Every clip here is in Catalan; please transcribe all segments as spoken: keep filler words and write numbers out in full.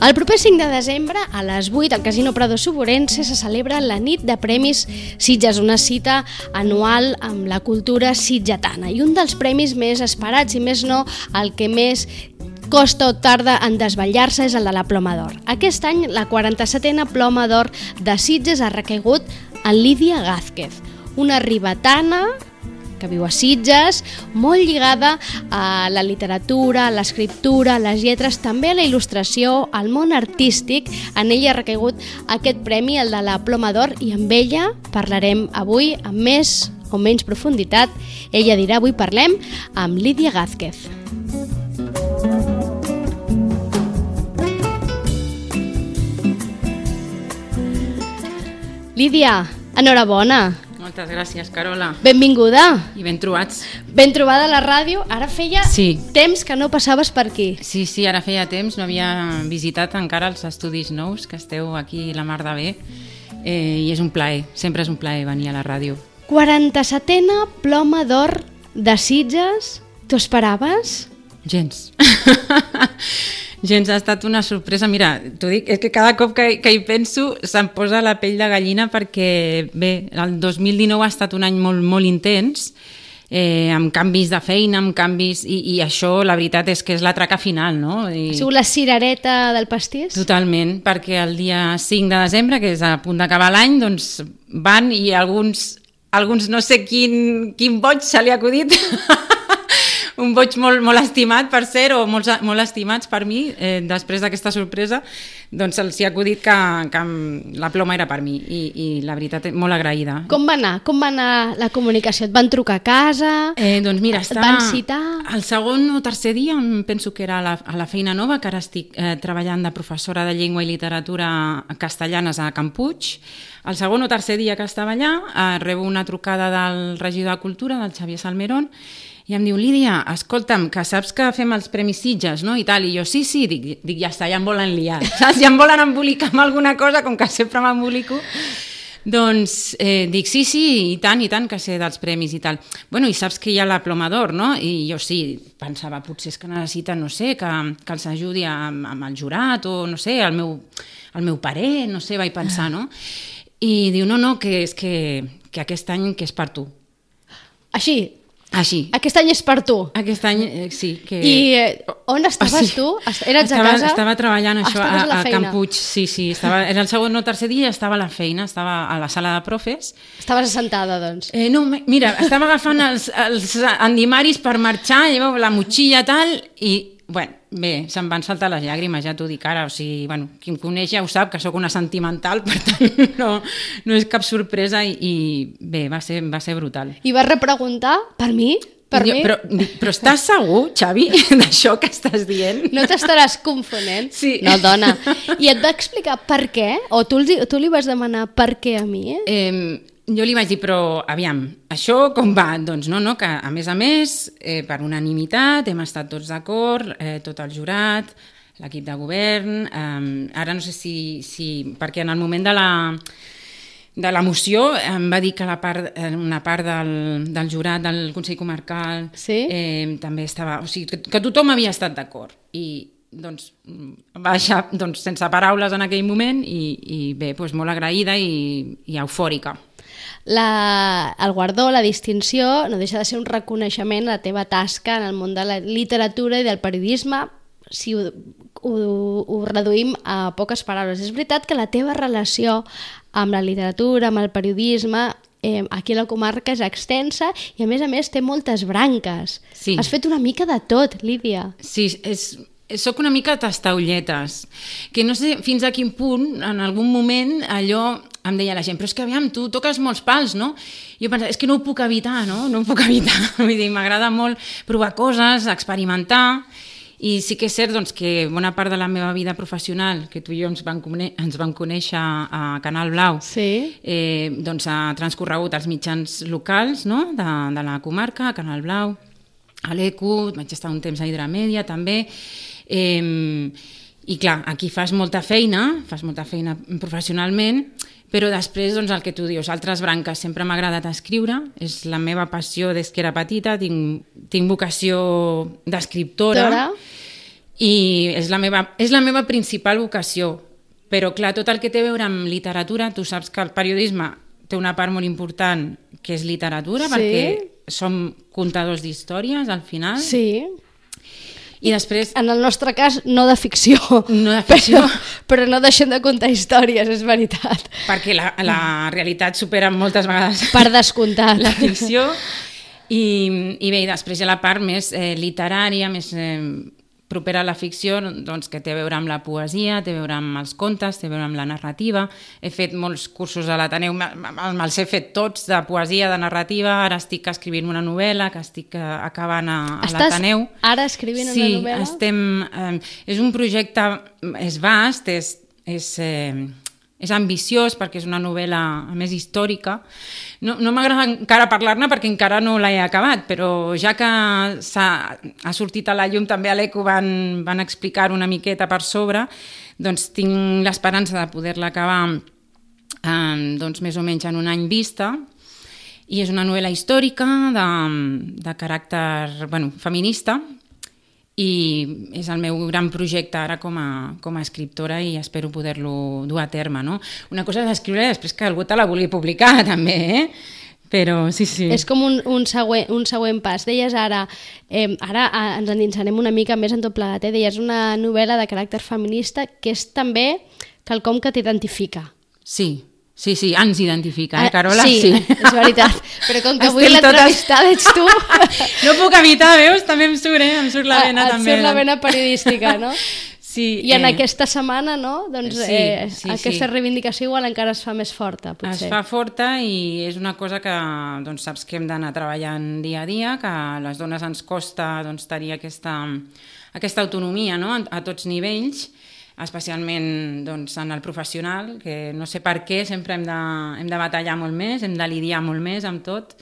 El proper cinc de desembre, a les vuit, al Casino Prado Suburense, se celebra la nit de Premis Sitges, una cita anual amb la cultura sitgetana. I un dels premis més esperats, i més no, el que més costa o tarda en desvetllar-se, és el de la Ploma d'Or. Aquest any, la quaranta-setena Ploma d'Or de Sitges ha recaigut en Lídia Gázquez, una ribetana que viu a Sitges, molt lligada a la literatura, a l'escriptura, a les lletres, també a la il·lustració, al món artístic. En ella ha recaigut aquest premi, el de la Ploma d'Or, i amb ella parlarem avui amb més o menys profunditat. Ella dirà, avui parlem amb Lídia Gázquez. Lídia, enhorabona. Moltes gràcies, Carola. Benvinguda. I ben trobats. Ben trobada a la ràdio. Ara feia sí. temps que no passaves per aquí. Sí, sí, ara feia temps. No havia visitat encara els estudis nous, que esteu aquí la mar de bé. Eh, I és un plaer, sempre és un plaer venir a la ràdio. quaranta-setena Ploma d'Or de Sitges. T'ho esperaves? Gens. Gens, ha estat una sorpresa. Mira, t'ho dic, és que cada cop que, que hi penso se'm posa la pell de gallina perquè, bé, el dos mil dinou ha estat un any molt, molt intens, eh, amb canvis de feina, amb canvis, i, i això, la veritat és que és la traca final, no? I... Ha sigut la cirereta del pastís? Totalment, perquè el dia cinc de desembre, que és a punt d'acabar l'any, doncs van i alguns, alguns no sé quin, quin boig se li ha acudit... un boig molt, molt estimat, per cert, o molt, molt estimats per mi, eh, després d'aquesta sorpresa, doncs se'ls ha acudit que, que la ploma era per mi, i, i la veritat, molt agraïda. Com va anar? Com va anar la comunicació? Et van trucar a casa? Eh, doncs mira, et van citar? El segon o tercer dia, penso que era a la, a la feina nova, que ara estic eh, treballant de professora de llengua i literatura castellanes a Can Puig. El segon o tercer dia que estava allà, eh, rebo una trucada del regidor de Cultura, del Xavier Salmerón, i em diu, Lídia, escolta'm, que saps que fem els Premis Sitges, no? I tal, i jo, sí, sí, dic, dic ja està, ja em volen liar, saps? Ja em volen embolicar amb alguna cosa, com que sempre m'embolico. Doncs eh, dic, sí, sí, i tant, i tant, que sé dels premis i tal. Bueno, i saps que hi ha la Ploma d'Or, no? I jo sí, pensava, potser és que necessiten, no sé, que, que els ajudi amb, amb el jurat, o no sé, el meu, el meu parer, no sé, vaig pensar, no? I diu, no, no, que és que, que aquest any que és per tu. Així? Així. Aquest any és per tu? Aquest any, eh, sí. Que... I eh, on estaves o sigui, tu? Eres estava, a casa? Estava treballant això a, a, a Can Puig, sí, sí. Estava, era el segon o tercer dia i estava a la feina, estava a la sala de profes. Estaves assentada, doncs? Eh, no, mira, estava agafant els, els endimaris per marxar, llevava la motxilla tal, i, bueno, bé, se'm van saltar les llàgrimes, ja t'ho dic ara, o sigui, bueno, qui em coneix ja ho sap, que sóc una sentimental, per tant, no, no és cap sorpresa, i, i bé, va ser, va ser brutal. I vas repreguntar per mi? Per jo, mi? Però, però estàs segur, Xavi, d'això que estàs dient? No t'estaràs confonent? Sí. No, dona. I et va explicar per què? O tu, tu li vas demanar per què a mi? Eh? Eh, jo li vaig dir, però aviam, això com va? Doncs no, no, que a més a més, eh, per unanimitat, hem estat tots d'acord, eh, tot el jurat, l'equip de govern, eh, ara no sé si, si... perquè en el moment de la... de la moció em va dir que la part, una part del, del jurat del Consell Comarcal sí? eh, també estava... O sigui, que, que tothom havia estat d'acord. I doncs va deixar doncs, sense paraules en aquell moment i, i bé, doncs molt agraïda i, i eufòrica. La, el guardó, la distinció, no deixa de ser un reconeixement a la teva tasca en el món de la literatura i del periodisme, si ho, ho, ho reduïm a poques paraules. És veritat que la teva relació amb la literatura, amb el periodisme, eh, aquí a la comarca és extensa i a més a més té moltes branques. Sí. Has fet una mica de tot, Lídia. Sí, és... soc una mica tastaulletes, que no sé fins a quin punt, en algun moment, allò em deia la gent, però és que aviam, tu toques molts pals, no? Jo pensava, és que no ho puc evitar, no? No ho puc evitar. Vull dir, m'agrada molt provar coses, experimentar, i sí que és cert doncs, que bona part de la meva vida professional, que tu i jo ens vam, ens vam conèixer a Canal Blau, sí. eh, doncs ha transcorregut als mitjans locals, no? de, de la comarca, a Canal Blau, a l'E Q u, vaig estar un temps a Hidramèdia també, eh, i clar, aquí fas molta feina, fas molta feina professionalment, però després, doncs, el que tu dius, altres branques, sempre m'ha agradat escriure, és la meva passió des que era petita, tinc, tinc vocació d'escriptora, I és la meva, és la meva principal vocació. Però, clar, tot el que té a veure amb literatura, tu saps que el periodisme té una part molt important que és literatura, sí. perquè som contadors d'històries, al final. Sí. I després... En el nostre cas, no de ficció. No de ficció. Però, però no deixem de contar històries, és veritat. Perquè la, la realitat supera moltes vegades... Per descomptat. La ficció. I, i bé, i després hi ha la part més eh, literària, més... Eh, propera a la ficció, doncs, que té a veure amb la poesia, té a veure amb els contes, té a veure amb la narrativa. He fet molts cursos a l'Ateneu, me'ls he fet tots, de poesia, de narrativa. Ara estic escrivint una novel·la que estic acabant a, a l'Ateneu. Estàs ara escrivint sí, una novel·la? Sí, estem... Eh, és un projecte, és vast, és... és eh, és ambiciós perquè és una novel·la, a més, històrica. No, no m'agrada encara parlar-ne perquè encara no l'he acabat, però ja que ha sortit a la llum, també a l'Eco van, van explicar una miqueta per sobre, doncs tinc l'esperança de poder-la acabar eh, doncs, més o menys en un any vista. I és una novel·la històrica de, de caràcter bueno, feminista, i és el meu gran projecte ara com a, com a escriptora i espero poder-lo dur a terme, no? Una cosa és escriure després que algú te la vulgui publicar, també, eh? Però sí, sí. És com un, un, següent, un següent pas. Deies ara, eh, ara ens endinsarem una mica més en tot plegat, eh? Deies una novel·la de caràcter feminista que és també quelcom que t'identifica. Sí. Sí, sí, ens identifica, eh, Carola? Sí, sí, és veritat. Però com que avui l'entrevistada ets tu... No puc evitar, veus? També em surt, eh? Em surt la vena, et també. Et surt la vena periodística, no? Sí. I en eh... aquesta setmana, no? Doncs sí, eh, sí, aquesta sí. reivindicació igual encara es fa més forta, potser. Es fa forta i és una cosa que doncs, saps que hem d'anar treballant dia a dia, que a les dones ens costa doncs, tenir aquesta, aquesta autonomia, no? a, a tots nivells, especialment doncs, en el professional, que no sé per què sempre hem de, hem de batallar molt més, hem de lidiar molt més amb tot.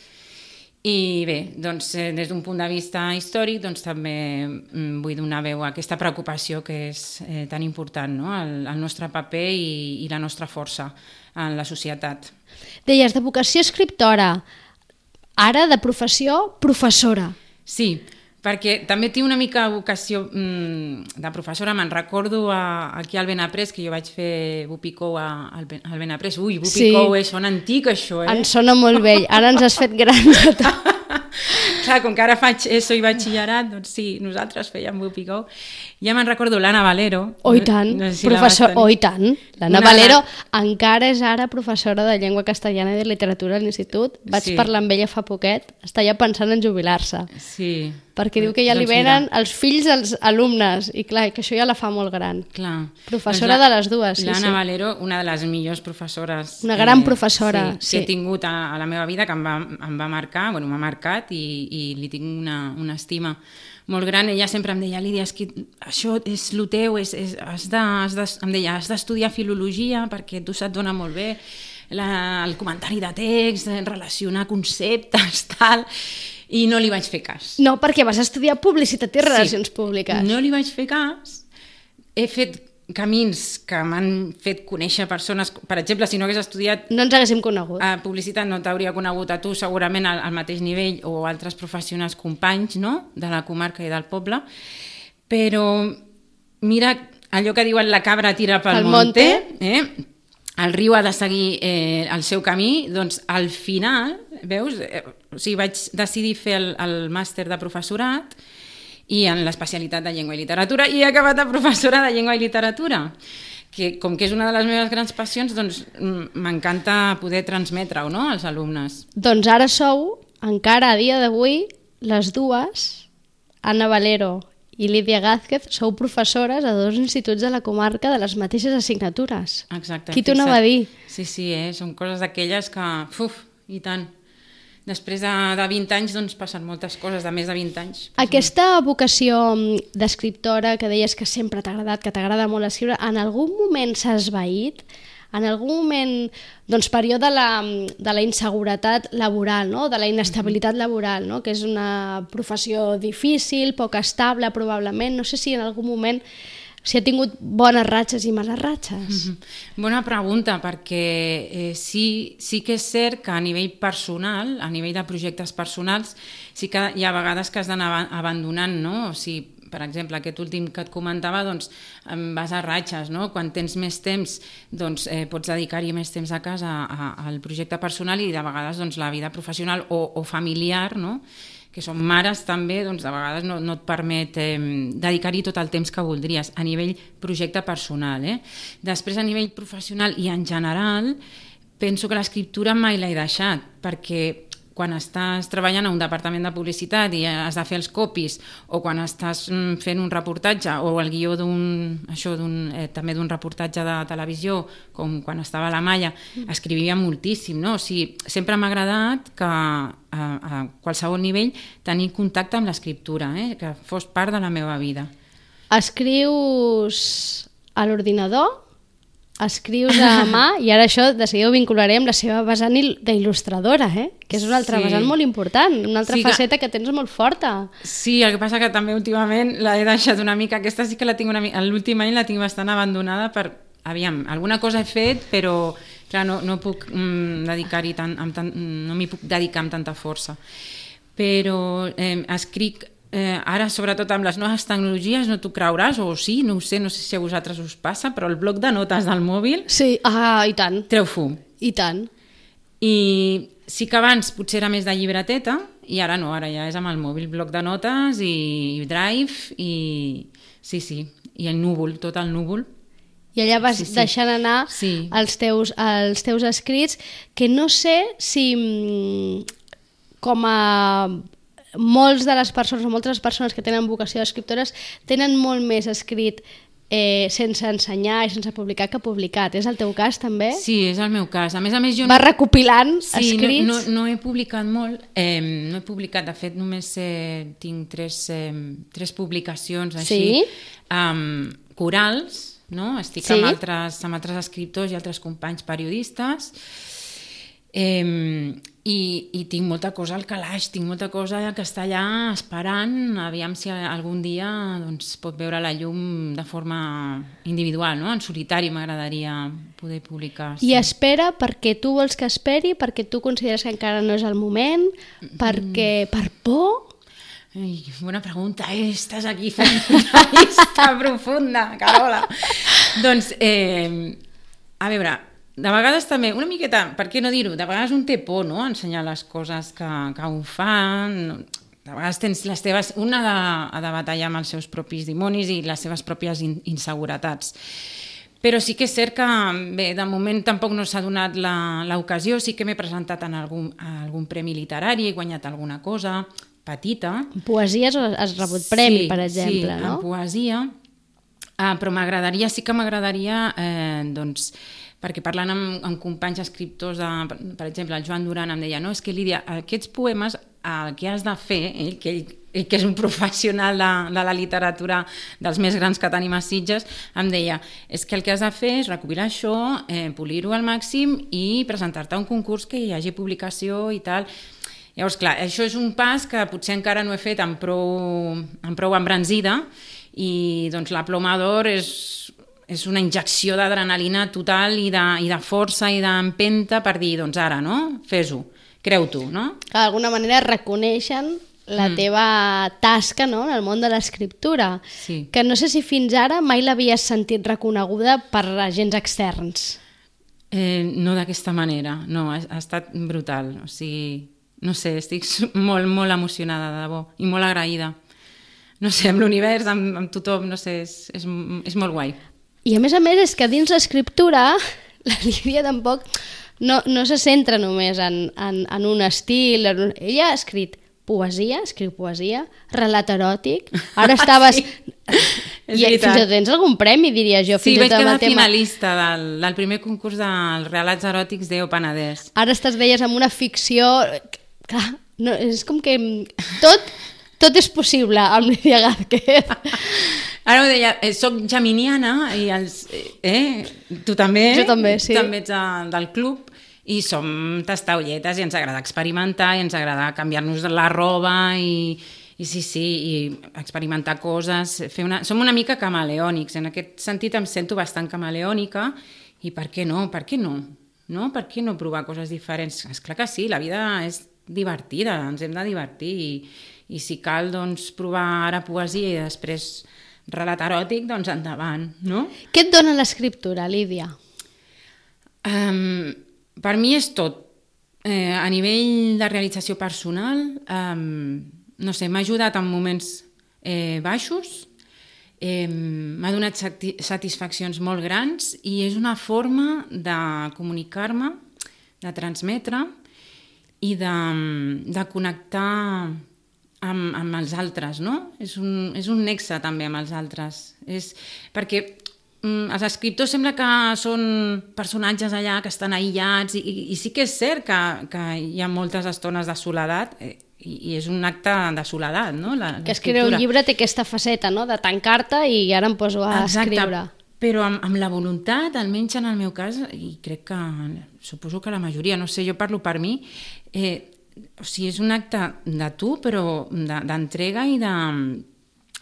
I bé, doncs, des d'un punt de vista històric doncs, també vull donar veu a aquesta preocupació que és eh, tan important, no? el, el nostre paper i, i la nostra força en la societat. Deies, de vocació escriptora, ara de professió professora. Sí, perquè també tinc una mica vocació mm, de professora. Me'n recordo a, aquí al Benaprés, que jo vaig fer Bupicou al, al Benaprés. Ui, Bupicou, sí. eh, sona antic això, eh? Ens sona molt vell, ara ens has fet grans. Clar, com que ara faig ESO i batxillerat, doncs sí, nosaltres fèiem Bupicou. Ja me'n recordo l'Anna Valero. Oh, i tant, no sé si professor, oh, i tant. L'Anna una... Valero encara és ara professora de llengua castellana i de literatura a l'Institut. Vaig sí. parlar amb ella fa poquet, està ja pensant en jubilar-se. Sí. Perquè diu que ja li venen els fills dels alumnes, i clar, que això ja la fa molt gran. Clar. Professora doncs la, de les dues. Sí, L'Anna sí. Valero, una de les millors professores... Una gran eh, professora, sí, sí. que he tingut a, a la meva vida, que em va, em va marcar, bueno, m'ha marcat i, i li tinc una, una estima molt gran. Ella sempre em deia, Lídia, és que això és el teu, és, és, has de, has de, em deia, has d'estudiar filologia perquè tu se't dona molt bé la, el comentari de text, relacionar conceptes, tal... I no li vaig fer cas. No, perquè vas estudiar publicitat i relacions sí, públiques. No li vaig fer cas. He fet camins que m'han fet conèixer persones... Per exemple, si no hagués estudiat... No ens haguéssim conegut. A publicitat no t'hauria conegut a tu segurament al, al mateix nivell o altres professionals companys, no?, de la comarca i del poble. Però mira allò que diuen la cabra tira pel, pel monte, monte. Eh? El riu ha de seguir eh, el seu camí, doncs al final, veus, eh, o sigui, vaig decidir fer el, el màster de professorat i en l'especialitat de llengua i literatura i he acabat de professora de llengua i literatura, que com que és una de les meves grans passions, doncs m'encanta poder transmetre-ho, no?, als alumnes. Doncs ara sou, encara a dia d'avui, les dues, Anna Valero i Lídia Gázquez, sou professores a dos instituts de la comarca de les mateixes assignatures. Exacte. Qui t'ho anava a dir? Sí, sí, eh? Són coses d'aquelles que... Uf, i tant. Després de, de vint anys, doncs, passen moltes coses, de més de vint anys. Aquesta vocació d'escriptora que deies que sempre t'ha agradat, que t'agrada molt escriure, en algun moment s'ha esvaït? En algun moment, doncs, període de la, de la inseguretat laboral, no?, de la inestabilitat laboral, no?, que és una professió difícil, poc estable, probablement. No sé si en algun moment si ha tingut bones ratxes i males ratxes. Mm-hmm. Bona pregunta, perquè eh, sí, sí que és cert que a nivell personal, a nivell de projectes personals, sí que hi ha vegades que has d'anar abandonant, no? O sigui, per exemple, aquest últim que et comentava, doncs vas a ratxes, no? Quan tens més temps, doncs eh, pots dedicar-hi més temps a casa a, a, al projecte personal i de vegades doncs, la vida professional o, o familiar, no? Que són mares també, doncs de vegades no, no et permet eh, dedicar-hi tot el temps que voldries a nivell projecte personal. Eh? Després a nivell professional i en general penso que l'escriptura mai l'he deixat, perquè quan estàs treballant a un departament de publicitat i has de fer els copies, o quan estàs fent un reportatge o el guió d'un, això, d'un, eh, també d'un reportatge de televisió, com quan estava a la Malla, escrivia moltíssim, no? O sigui, sempre m'ha agradat que a, a qualsevol nivell tenir contacte amb l'escriptura, eh? Que fos part de la meva vida. Escrius a l'ordinador? Escrius a mà i ara això de seguida ho vincularé amb la seva vessant d'il·lustradora, eh? Que és una altra sí. vessant molt important, una altra sí que... faceta que tens molt forta. Sí, el que passa que també últimament l'he deixat una mica, aquesta sí que la tinc una mica, l'últim any la tinc bastant abandonada per, aviam, alguna cosa he fet, però clar, no, no puc mm, dedicar-hi tant, amb tant, no m'hi puc dedicar amb tanta força. Però eh, escric Eh, ara, sobretot amb les noves tecnologies, no t'ho creuràs, o sí, no ho sé, no sé si a vosaltres us passa, però el bloc de notes del mòbil... Sí, ah, i tant. Treu fum. I tant. I sí que abans potser era més de llibreteta, i ara no, ara ja és amb el mòbil, bloc de notes i drive, i sí, sí, i el núvol, tot el núvol. I allà vas sí, sí. deixant anar sí. els, teus, els teus escrits, que no sé si com a... molts de les persones o moltes persones que tenen vocació d'escriptores tenen molt més escrit eh, sense ensenyar i sense publicar que publicat. És el teu cas també? Sí, és el meu cas. A més a més jo... Vas recopilant sí, escrits? No, no, no he publicat molt, eh, no he publicat, de fet només eh, tinc tres, eh, tres publicacions així, sí? um, corals, no? Estic sí? amb, altres, amb altres escriptors i altres companys periodistes. Eh, i, i tinc molta cosa al calaix, tinc molta cosa que està allà esperant, aviam si algun dia doncs, pot veure la llum de forma individual, no? En solitari m'agradaria poder publicar. Sí. I espera perquè tu vols que esperi, perquè tu consideres que encara no és el moment, perquè per por... Ai, bona pregunta, eh? Estàs aquí fent una llista profunda, Carola. Doncs, eh, a veure... De vegades també, una miqueta, per què no dir-ho, de vegades un té por, no?, ensenyar les coses que, que ho fan, de vegades tens les teves, una ha de, ha de batallar amb els seus propis dimonis i les seves pròpies in, inseguretats. Però sí que és cert que, bé, de moment tampoc no s'ha donat l'ocasió, sí que m'he presentat en algun, a algun premi literari, he guanyat alguna cosa petita. En poesia has rebut premi, sí, per exemple, sí, no? Sí, en poesia, uh, però m'agradaria, sí que m'agradaria, eh, doncs, perquè parlant amb, amb companys escriptors, de, per exemple, el Joan Duran em deia, no, és que Lídia, aquests poemes el que has de fer, ell, que, ell, ell que és un professional de, de la literatura dels més grans que tenim a Sitges, em deia, és que el que has de fer és recopilar això, eh, polir-ho al màxim i presentar-te a un concurs que hi hagi publicació i tal. Llavors, clar, això és un pas que potser encara no he fet amb prou, amb prou embranzida i doncs la Ploma d'Or és... és una injecció d'adrenalina total i de, i de força i d'empenta per dir, doncs ara, no? Fes-ho, creu-t'ho, no? D'alguna manera reconeixen la mm. teva tasca, no?, en el món de l'escriptura, sí. que no sé si fins ara mai l'havies sentit reconeguda per agents externs. Eh, no d'aquesta manera, no, ha, ha estat brutal, o sigui, no sé, estic molt, molt emocionada, de debò, i molt agraïda. No sé, amb l'univers, amb, amb tothom, no sé, és, és, és molt guai. I a més a més és que dins l'escriptura la Lídia tampoc no, no se centra només en, en, en un estil. En un... Ella ha escrit poesia, escriu poesia, relat eròtic. Ara estaves... Sí, i fins i tot tens algun premi, diria jo. Sí, fins vaig quedar tema... finalista del, del primer concurs dels relats eròtics d'E O Penedès. Ara estàs, deies, amb una ficció... Clar, no, és com que tot... Tot és possible amb Lídia Gázquez. Ara ho deia, eh, soc geminiana i els, eh, tu també, jo també, sí. Tu també ets a, del club i som tastaolletes i ens agrada experimentar i ens agrada canviar-nos la roba i, i sí, sí, i experimentar coses. Fer una, som una mica camaleònics, en aquest sentit em sento bastant camaleònica i per què no, per què no? No? Per què no provar coses diferents? Esclar que sí, la vida és divertida, ens hem de divertir i i si cal doncs, provar ara poesia i després relat eròtic, doncs endavant, no? Què et dona l'escriptura, Lídia? Um, per mi és tot. Eh, a nivell de realització personal, um, no sé, m'ha ajudat en moments eh, baixos, eh, m'ha donat sati satisfaccions molt grans i és una forma de comunicar-me, de transmetre i de, de connectar amb, amb els altres, no? És un, és un nexe també amb els altres. És, perquè mm, els escriptors sembla que són personatges allà que estan aïllats i, i, i sí que és cert que, que hi ha moltes estones de soledat eh, i, i és un acte de soledat, no? La, que escriure un llibre té aquesta faceta, no? De tancar-te i ara em poso a Exacte. escriure. Però amb, amb la voluntat, almenys en el meu cas, i crec que suposo que la majoria, no sé, jo parlo per mi, eh, o sigui, és un acte de tu, però d'entrega i de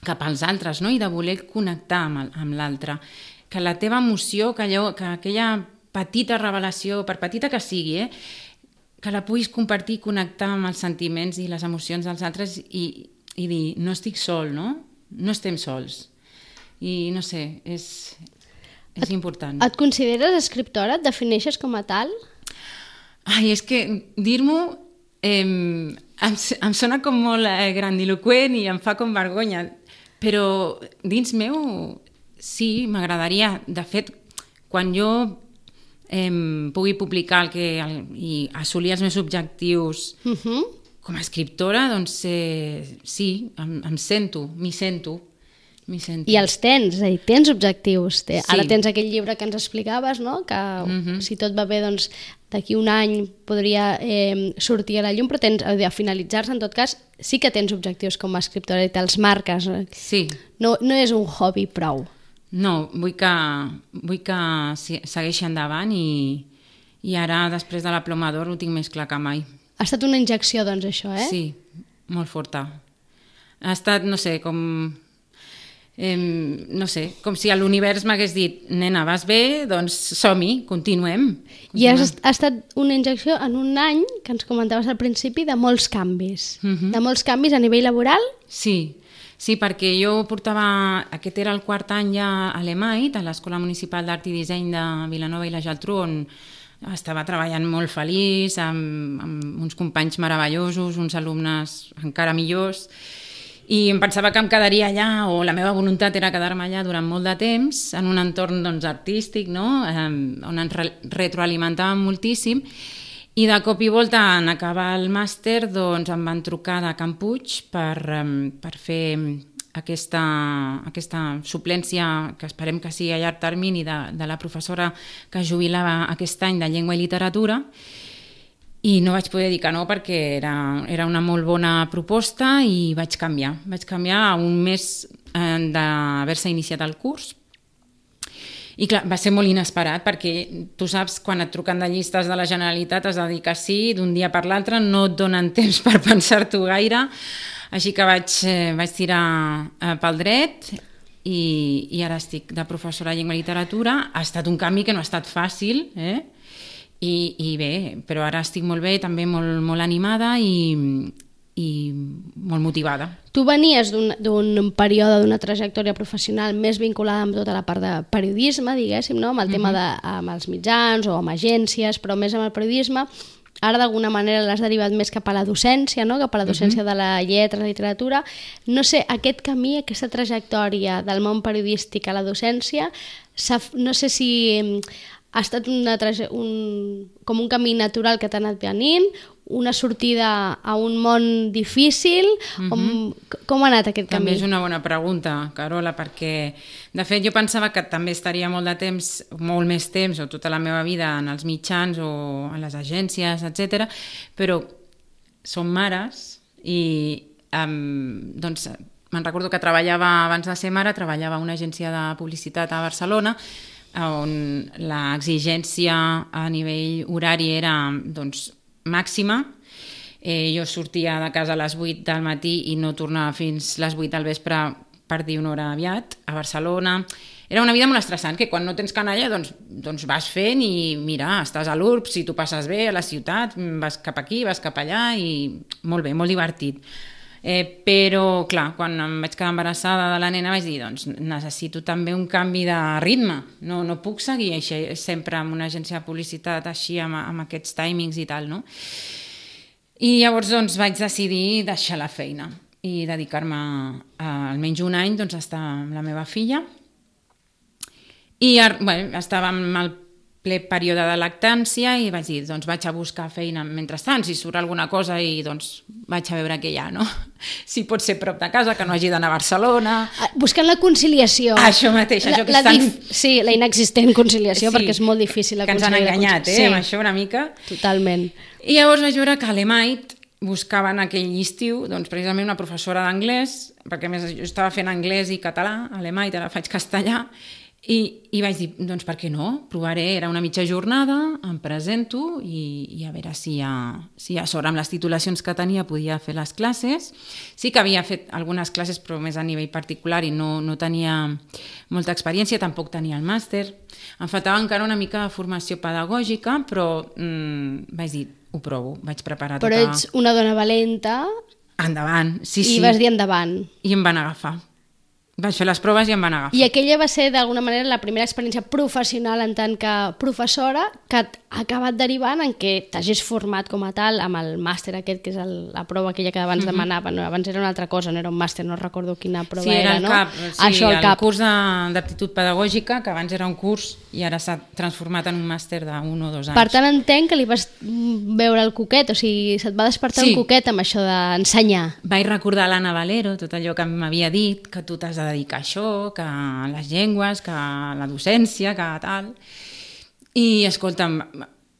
cap als altres, no? I de voler connectar amb, amb l'altre. Que la teva emoció, que, allò, que aquella petita revelació, per petita que sigui, eh, que la puguis compartir i connectar amb els sentiments i les emocions dels altres i, i dir, no estic sol, no? No estem sols. I no sé, és, és important. Et consideres escriptora? Et defineixes com a tal? Ai, és que dir-m'ho eh, em, em sona com molt eh, grandiloquent i em fa com vergonya, però dins meu sí, m'agradaria. De fet, quan jo eh, pugui publicar el que, el, i assolir els meus objectius uh-huh. com a escriptora, doncs eh, sí, em, em sento, m'hi sento. I els tens, és a dir, tens objectius. Sí. Ara tens aquell llibre que ens explicaves, no? Que uh-huh. si tot va bé, doncs d'aquí un any podria eh, sortir a la llum, però tens, a finalitzar-se, en tot cas, sí que tens objectius com a escriptora i te'ls marques. Sí. No, no és un hobby prou. No, vull que, vull que segueixi endavant i, i ara, després de la Ploma d'Or, ho tinc més clar que mai. Ha estat una injecció, doncs, això, eh? Sí, molt forta. Ha estat, no sé, com... Eh, no sé, com si l'univers m'hagués dit, nena, vas bé, doncs som-hi, continuem. continuem. I has, ha estat una injecció en un any, que ens comentaves al principi, de molts canvis. Uh-huh. De molts canvis a nivell laboral? Sí, sí, perquè jo portava, aquest era el quart any ja a l'E M A I T, a l'Escola Municipal d'Art i Disseny de Vilanova i la Geltrú, on estava treballant molt feliç, amb, amb uns companys meravellosos, uns alumnes encara millors, i em pensava que em quedaria allà, o la meva voluntat era quedar-me allà durant molt de temps, en un entorn doncs, artístic, no? eh, on ens re retroalimentàvem moltíssim, i de cop i volta, en acabar el màster, doncs, em van trucar de Can Puig per, um, per fer aquesta, aquesta suplència, que esperem que sigui a llarg termini, de, de la professora que jubilava aquest any de Llengua i Literatura, i no vaig poder dir que no perquè era, era una molt bona proposta i vaig canviar. Vaig canviar a un mes eh, d'haver-se iniciat el curs. I clar, va ser molt inesperat perquè tu saps, quan et truquen de llistes de la Generalitat has de dir que sí, d'un dia per l'altre no et donen temps per pensar-t'ho gaire. Així que vaig, eh, vaig tirar eh, pel dret i, i ara estic de professora de Llengua i Literatura. Ha estat un canvi que no ha estat fàcil, eh? I, i bé, però ara estic molt bé, també molt, molt animada i, i molt motivada. Tu venies d'un període, d'una trajectòria professional més vinculada amb tota la part de periodisme, diguéssim, no? Amb el tema de, amb els mitjans o amb agències, però més amb el periodisme. Ara d'alguna manera l'has derivat més cap a la docència, no? Cap a la docència uh-huh. de la lletra, la literatura. No sé, aquest camí, aquesta trajectòria del món periodístic a la docència, no sé si ha estat una, un, com un camí natural que t'ha anat venint, una sortida a un món difícil, uh-huh. com, com ha anat aquest camí? També és una bona pregunta, Carola, perquè de fet jo pensava que també estaria molt de temps, molt més temps, o tota la meva vida en els mitjans o a les agències, etcètera, però som mares i um, doncs me'n recordo que treballava, abans de ser mare, treballava a una agència de publicitat a Barcelona, on l'exigència a nivell horari era doncs, màxima. Eh, jo sortia de casa a les vuit del matí i no tornava fins les vuit del vespre per dir una hora aviat a Barcelona. Era una vida molt estressant, que quan no tens canalla doncs, doncs vas fent i mira, estàs a l'U R B, si tu passes bé a la ciutat, vas cap aquí, vas cap allà i molt bé, molt divertit. Eh, però, clar, quan em vaig quedar embarassada de la nena vaig dir, doncs necessito també un canvi de ritme, no, no puc seguir així, sempre amb una agència de publicitat així, amb, amb aquests timings i tal, no? I llavors doncs vaig decidir deixar la feina i dedicar-me a, almenys un any doncs, a estar amb la meva filla. I bueno, estava en el ple període de lactància i vaig dir, doncs vaig a buscar feina mentrestant, si surt alguna cosa i doncs vaig a veure què hi ha, no? Si pot ser prop de casa, que no hagi d'anar a Barcelona. Buscant la conciliació. Això mateix, això la, que la estan... dif... Sí, la inexistent conciliació, sí, perquè és molt difícil que ens han enganyat, eh, sí, amb això una mica. Totalment. I llavors vaig veure que a l'Emait buscaven aquell estiu, doncs precisament una professora d'anglès, perquè a més jo estava fent anglès i català, a l'Emait, ara faig castellà, I, i vaig dir, doncs per què no? Provaré, era una mitja jornada, em presento i, i a veure si a, si a sobre amb les titulacions que tenia podia fer les classes. Sí que havia fet algunes classes però més a nivell particular i no, no tenia molta experiència, tampoc tenia el màster. Em faltava encara una mica de formació pedagògica, però mm, vaig dir, ho provo, vaig preparar però tota... Però ets una dona valenta... Endavant, sí, i sí. I vas dir endavant. I em van agafar. Vaig fer les proves i em van agafar. I aquella va ser, d'alguna manera, la primera experiència professional en tant que professora que ha acabat derivant en què t'hagis format com a tal amb el màster aquest, que és el, la prova aquella que abans mm-hmm. demanava. No, abans era una altra cosa, no era un màster, no recordo quina prova sí, era. era, no? CAP, sí, Això, el, el CAP. curs d'aptitud pedagògica, que abans era un curs i ara s'ha transformat en un màster d'un o dos anys. Per tant, entenc que li vas veure el coquet, o sigui, se't va despertar sí. un coquet amb això d'ensenyar. Vaig recordar l'Anna Valero, tot allò que m'havia dit, que tu t'has de dedicar a això, que a les llengües, que a la docència, que tal... I, escolta'm,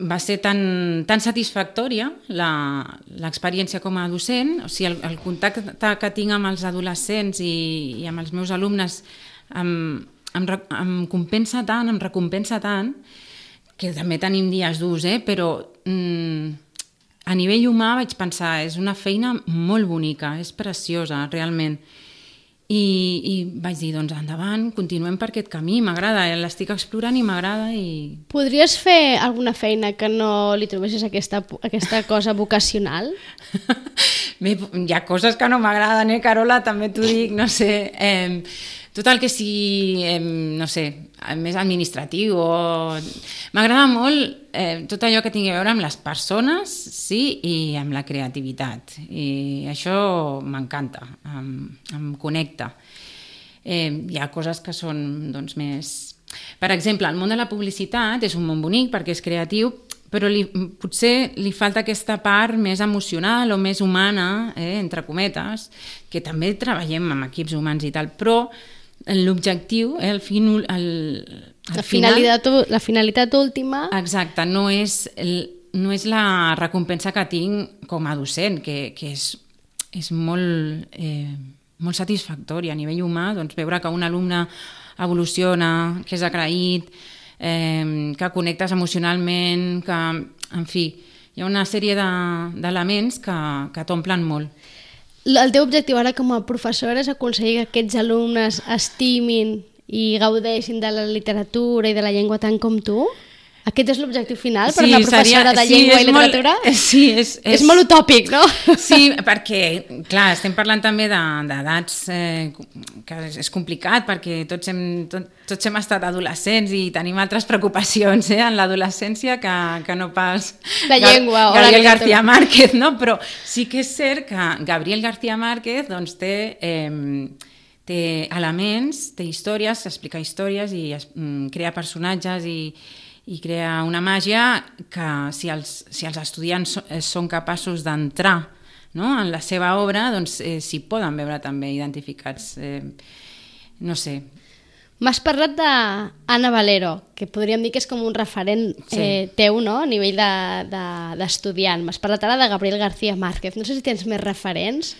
va ser tan, tan satisfactòria l'experiència com a docent, o sigui, el, el contacte que tinc amb els adolescents i, i amb els meus alumnes em, em, em compensa tant, em recompensa tant, que també tenim dies durs, eh? Però mm, a nivell humà vaig pensar, és una feina molt bonica, és preciosa, realment. I, i vaig dir, doncs endavant, continuem per aquest camí, m'agrada, l'estic explorant i m'agrada. I... Podries fer alguna feina que no li trobessis aquesta, aquesta cosa vocacional? Bé, hi ha coses que no m'agraden, eh, Carola, també t'ho dic, no sé... Eh, tot el que sigui, eh, no sé, més administratiu o... M'agrada molt eh, tot allò que tingui a veure amb les persones, sí, i amb la creativitat. I això m'encanta, em, em connecta. Eh, hi ha coses que són, doncs, més... Per exemple, el món de la publicitat és un món bonic perquè és creatiu, però li, potser li falta aquesta part més emocional o més humana, eh, entre cometes, que també treballem amb equips humans i tal, però l'objectiu, eh, el, fin, el, el la, final... finalitat, la finalitat última... Exacte, no és, el, no és la recompensa que tinc com a docent, que, que és, és molt, eh, molt satisfactòria a nivell humà, doncs veure que un alumne evoluciona, que és agraït, eh, que connectes emocionalment, que, en fi, hi ha una sèrie d'elements de, que, que t'omplen molt. El teu objectiu ara com a professora és aconseguir que aquests alumnes estimin i gaudeixin de la literatura i de la llengua tant com tu? Aquest és l'objectiu final per sí, una professora seria, de llengua sí, i literatura? Molt, sí, és, és... és molt utòpic, no? Sí, perquè, clar, estem parlant també d'edats de, eh, que és complicat perquè tots hem, tot, tots hem estat adolescents i tenim altres preocupacions eh, en l'adolescència que, que no pas... La llengua. Ga Gabriel García Márquez, no? Però sí que és cert que Gabriel García Márquez doncs, té... Eh, té elements, té històries, explica històries i es, mm, crea personatges i i crea una màgia que si els, si els estudiants són capaços d'entrar, no?, en la seva obra, doncs eh, s'hi poden veure també identificats. Eh, no sé. M'has parlat d'Anna Valero, que podríem dir que és com un referent sí. eh, teu, no?, a nivell d'estudiant. De, de, M'has parlat ara de Gabriel García Márquez. No sé si tens més referents.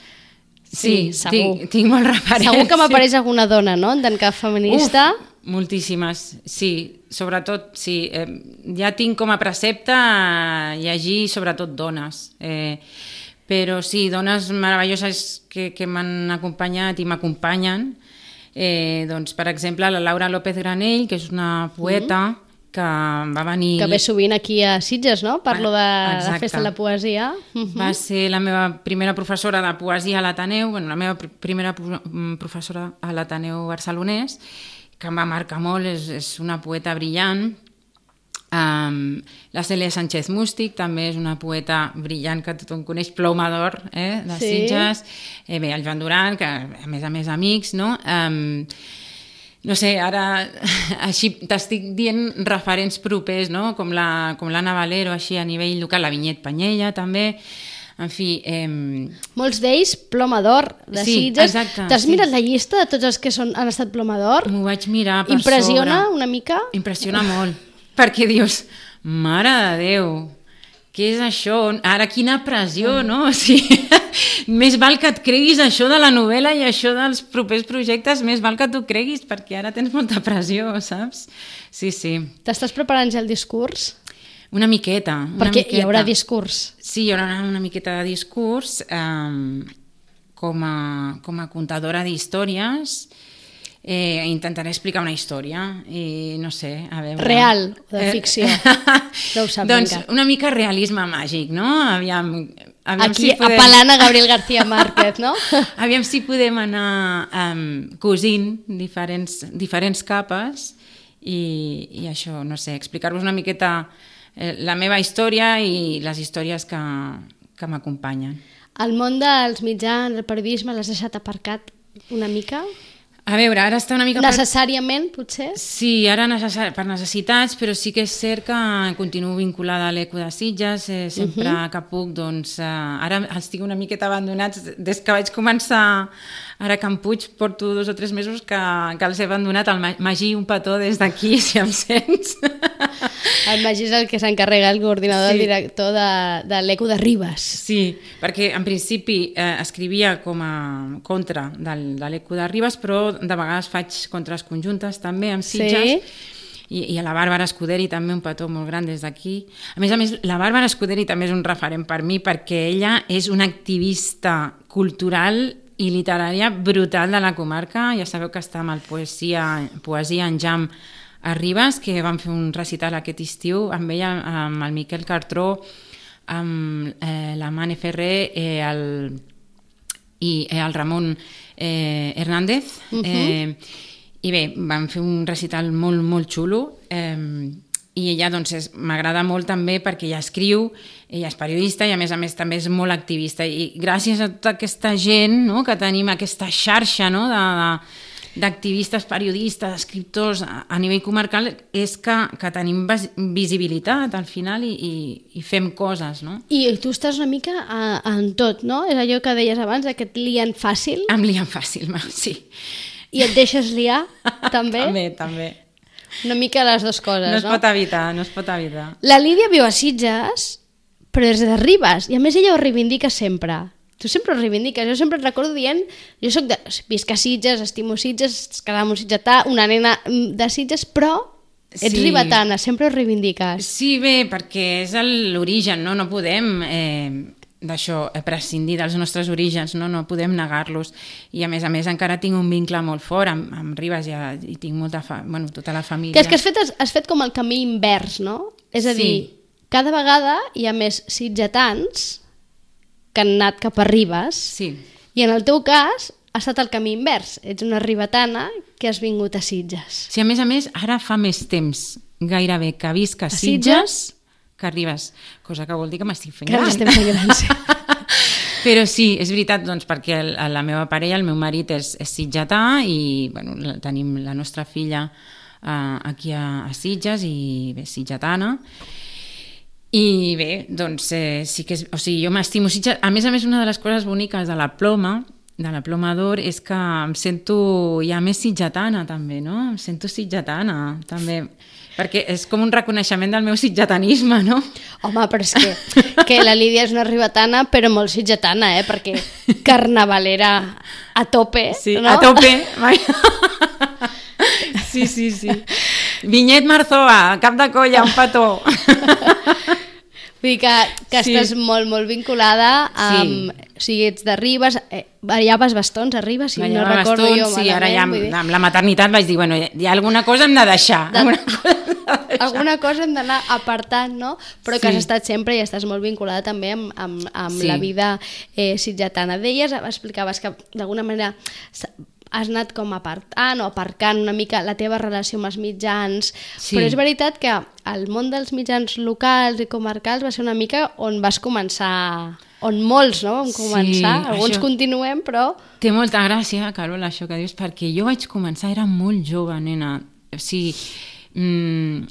Sí, sí segur. Tinc, tinc molts referents. Segur que m'apareix sí. alguna dona, no?, en tant que feminista. Uf, moltíssimes, sí. Sobretot, sí. Eh, ja tinc com a precepte llegir sobretot dones. Eh, però sí, dones meravelloses que, que m'han acompanyat i m'acompanyen. Eh, doncs, per exemple, la Laura López Granell, que és una poeta mm. que va venir... Que ve sovint aquí a Sitges, no? Parlo de Exacte. la Festa de la Poesia. Uh-huh. Va ser la meva primera professora de poesia a l'Ateneu, bueno, la meva pr primera professora a l'Ateneu barcelonès, que em va marcar molt, és, és una poeta brillant. Um, la Cèlia Sánchez Mústic també és una poeta brillant que tothom coneix, Ploma d'Or, eh, de sí. Sitges. Eh, bé, el Joan Duran, que a més a més amics, no? Um, no sé, ara així t'estic dient referents propers, no? Com la, com l'Anna Valero, així a nivell local, la Vinyet Panyella també, en fi... Eh... Molts d'ells Ploma d'Or de sí, Sitges. Exacte. T'has sí. mirat la llista de tots els que són, han estat Ploma d'Or? M'ho vaig mirar per Impressiona sobre. una mica? Impressiona molt, perquè dius, mare de Déu, què és això? Ara quina pressió, no? O sigui, més val que et creguis això de la novel·la i això dels propers projectes, més val que t'ho creguis, perquè ara tens molta pressió, saps? Sí, sí. T'estàs preparant ja el discurs? Una miqueta. Una perquè miqueta. Hi haurà discurs. Sí, hi haurà una, una miqueta de discurs um, com, a, com a contadora d'històries. Eh, intentaré explicar una història i no sé, a veure... Real, de ficció. No ho sap doncs encara. una mica realisme màgic, no? Aviam, aviam aquí si podem... apel·lant a Gabriel García Márquez, no? Aviam si podem anar um, cosint diferents, diferents capes i, i això, no sé, explicar-vos una miqueta eh, la meva història i les històries que, que m'acompanyen. El món dels mitjans, el periodisme, l'has deixat aparcat una mica? A veure, ara està una mica... Necessàriament, potser? Sí, ara necessari, per necessitats, però sí que és cert que continuo vinculada a l'Eco de Sitges, eh, sempre uh -huh. que puc, doncs... Eh, ara els tinc una miqueta abandonats, des que vaig començar ara a Can Puig, porto dos o tres mesos que, que els he abandonat. El Magí, un petó des d'aquí, si em sents. El Magí és el que s'encarrega, el coordinador, sí. el director de, de l'Eco de Ribes. Sí, perquè en principi eh, escrivia com a contra del, de l'Eco de Ribes, però de vegades faig contres conjuntes també amb Sitges. Sí. I, i a la Bàrbara Escuderi també un petó molt gran des d'aquí. A més a més, la Bàrbara Escuderi també és un referent per mi perquè ella és una activista cultural i literària brutal de la comarca. Ja sabeu que està amb el Poesia, Poesia en Jam a Ribes, que vam fer un recital aquest estiu amb ella, amb el Miquel Cartró, amb eh, la Mane Ferrer eh, el, i eh, el Ramon eh, Hernández. Uh-huh. eh, I bé, vam fer un recital molt, molt xulo. Eh, I ella doncs, m'agrada molt també perquè ella escriu, ella és periodista i a més a més també és molt activista. I gràcies a tota aquesta gent, no?, que tenim aquesta xarxa, no?, de... de d'activistes, periodistes, escriptors a nivell comarcal, és que, que tenim visibilitat al final i, i, i fem coses, no? I tu estàs una mica a, en tot, no? És allò que deies abans, que et lien fàcil. Em lien fàcil, sí. I et deixes liar, també? També, també. Una mica les dues coses, no? No es pot evitar, no es pot evitar. La Lídia viu a Sitges, però és de Ribes, i a més ella ho reivindica sempre. Tu sempre ho reivindiques, jo sempre et recordo dient, jo soc de, visc a Sitges, estimo Sitges, quedava un sitgetà, una nena de Sitges, però ets sí. ribetana, sempre ho reivindiques. Sí, bé, perquè és l'origen, no? No podem eh, d'això, prescindir dels nostres orígens, no? No podem negar-los. I a més a més encara tinc un vincle molt fort amb, amb Ribes, ja, i tinc molta fa, bueno, tota la família. Que és que has fet, has fet com el camí invers, no? És a dir, sí. cada vegada hi ha més sitgetans que han anat cap a Ribes, sí. i en el teu cas ha estat el camí invers. Ets una ribetana que has vingut a Sitges. Sí, a més a més, ara fa més temps gairebé que visc a, a Sitges, Sitges que a Ribes, cosa que vol dir que m'estic fent gran. Que estem fent gran, sí. Però sí, és veritat, doncs, perquè el, la meva parella, el meu marit, és, és sitgetà i bueno, tenim la nostra filla uh, aquí a, a Sitges i bé, sitgetana. I bé, doncs eh, sí que és, o sigui, jo m'estimo Sitges. A més a més, una de les coses boniques de la Ploma, de la Ploma d'Or, és que em sento ja més sitgetana també, no? Em sento sitgetana també, perquè és com un reconeixement del meu sitgetanisme, no? Home, però és que, que la Lídia és una ribetana, però molt sitgetana, eh? Perquè carnavalera a tope, sí, no? A tope, mai. Sí, sí, sí. Vinyet Marzoa, cap de colla, un petó. Vull dir que, que sí. estàs molt, molt vinculada amb... Sí. O sigui, ets de Ribes, eh, ballaves bastons a Ribes, si Ballava no recordo bastons, jo malament. Sí, ara ja amb, amb la maternitat vaig dir, bueno, hi ha alguna cosa hem de deixar. De... Alguna cosa hem de alguna cosa hem d'anar apartant, no? Però que Sí. has estat sempre i estàs molt vinculada també amb, amb, amb Sí. la vida eh, sitgetana. Deies, explicaves que d'alguna manera s- has anat com apartant o aparcant una mica la teva relació amb els mitjans, Sí. però és veritat que el món dels mitjans locals i comarcals va ser una mica on vas començar, on molts no, vam començar, Sí, alguns això- continuem, però... Té molta gràcia, Carol, això que dius, perquè jo vaig començar, era molt jove, nena. O sigui, mm,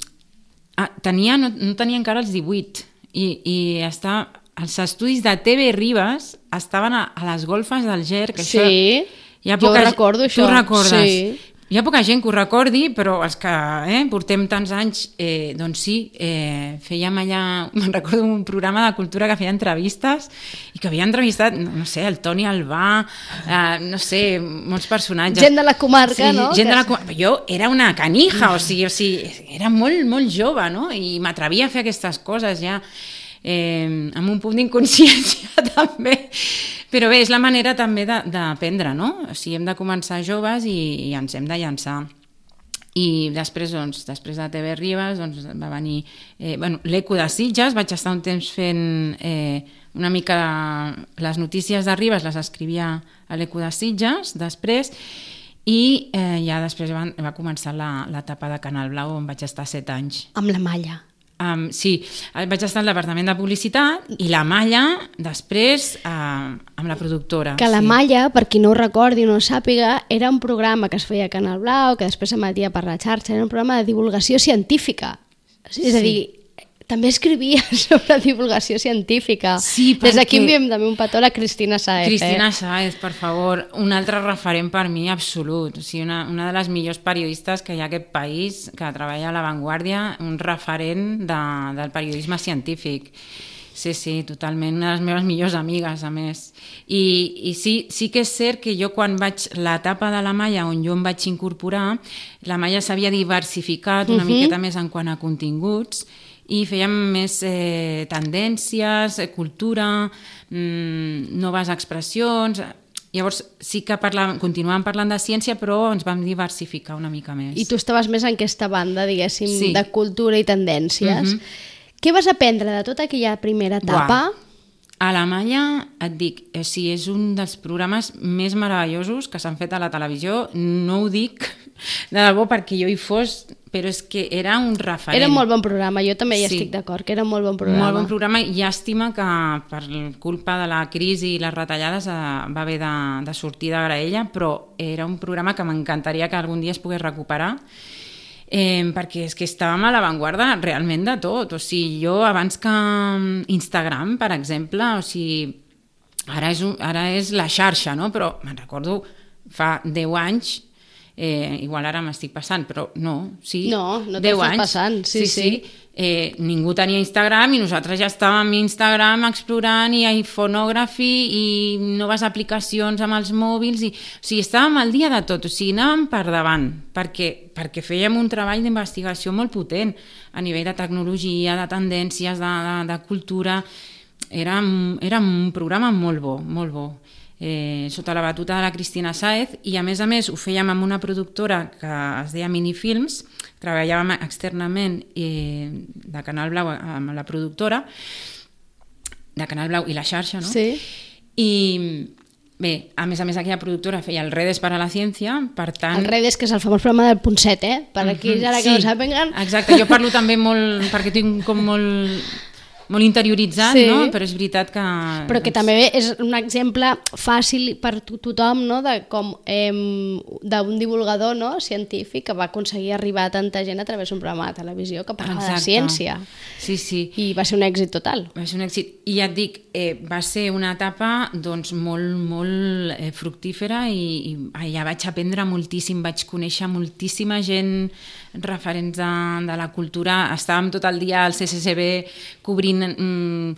ah, tenia, no, no tenia encara els divuit i, i està, els estudis de T V Ribes estaven a, a les golfes del Ger, que Sí, això... Hi ha jo poca, recordo això. Tu recordes? Sí. Hi ha poca gent que ho recordi, però els que eh, portem tants anys, eh, doncs sí, eh, fèiem allà, me'n recordo un programa de cultura que feia entrevistes i que havia entrevistat, no, no sé, el Toni Albà, eh, no sé, molts personatges. Gent de la comarca, sí, no? Gent Que- de la comarca. Jo era una canija, o sigui, o sigui era molt, molt jove, no? I m'atrevia a fer aquestes coses ja, eh, amb un punt d'inconsciència també. Però bé, és la manera també de- d'aprendre, no? O sigui, hem de començar joves i, i ens hem de llançar. I després, doncs, després de T V Ribes, doncs, va venir eh, bueno, l'Eco de Sitges, vaig estar un temps fent eh, una mica les notícies de Ribes, les escrivia a l'Eco de Sitges, després, i eh, ja després va, va començar la- l'etapa de Canal Blau, on vaig estar set anys. Amb la malla. Um, sí, vaig estar al departament de publicitat i la Malla, després, uh, amb la productora. Que la sí. Malla, per qui no ho recordi o no ho sàpiga, era un programa que es feia a Canal Blau, que després s'emetia per la xarxa, era un programa de divulgació científica. És a Sí. dir, també escrivia sobre divulgació científica. Sí, Des d'aquí perquè- enviem també un petó a la Cristina Saez. Cristina eh? Sáez, per favor, un altre referent per mi absolut. O sigui, una, una de les millors periodistes que hi ha a aquest país, que treballa a l'avantguàrdia, un referent de, del periodisme científic. Sí, sí, totalment, una de les meves millors amigues, a més. I, i sí, sí que és cert que jo quan vaig, l'etapa de la Malla on jo em vaig incorporar, la Malla s'havia diversificat una uh -huh. miqueta més en quant a continguts, i fèiem més eh, tendències, eh, cultura, mm, noves expressions. Llavors sí que parlàvem, continuàvem parlant de ciència, però ens vam diversificar una mica més. I tu estaves més en aquesta banda, diguéssim, Sí. de cultura i tendències. Mhm. Què vas aprendre de tota aquella primera etapa? Buah. A la Malla, et dic, o sigui, és un dels programes més meravellosos que s'han fet a la televisió. No ho dic de debò perquè jo hi fos, però és que era un referent. Era un molt bon programa, jo també hi Sí. estic d'acord, que era un molt bon programa. Molt bon programa, i llàstima que per culpa de la crisi i les retallades eh, va haver de, de sortir de graella, però era un programa que m'encantaria que algun dia es pogués recuperar, eh, perquè és que estàvem a l'avantguarda realment de tot. O sigui, jo abans que Instagram, per exemple, o sigui, ara és, un, ara és la xarxa, no? Però me'n recordo fa deu anys, eh, igual ara m'estic passant, però no, sí, No, no deu t'estàs anys. passant, sí, sí. Eh, ningú tenia Instagram i nosaltres ja estàvem a Instagram explorant i a Iphonography i noves aplicacions amb els mòbils, i, o sigui, estàvem al dia de tot, o sigui, anàvem per davant, perquè, perquè fèiem un treball d'investigació molt potent a nivell de tecnologia, de tendències, de, de, de cultura. Era, era un programa molt bo, molt bo. Eh, sota la batuta de la Cristina Sáez, i a més a més ho fèiem amb una productora que es deia Minifilms, treballàvem externament eh, de Canal Blau amb la productora de Canal Blau i la xarxa, no? Sí. I bé, a més a més aquella productora feia el Redes para la Ciència, per tant... El Redes, que és el famós programa del Ponset, eh? Per aquí, Mhm, ara que sí, no sàpiguen... Exacte, jo parlo també molt, perquè tinc com molt, molt interioritzat, Sí. no? Però és veritat que... Però que doncs, també és un exemple fàcil per to tothom, no? De com eh, d'un divulgador, no? Científic que va aconseguir arribar a tanta gent a través d'un programa de televisió que parlava de Exacte. ciència. Sí, sí. I va ser un èxit total. Va ser un èxit. I ja et dic, eh, va ser una etapa doncs, molt, molt eh, fructífera, i, i allà vaig aprendre moltíssim, vaig conèixer moltíssima gent, referents de, de la cultura. Estàvem tot el dia al C C C B cobrint mm,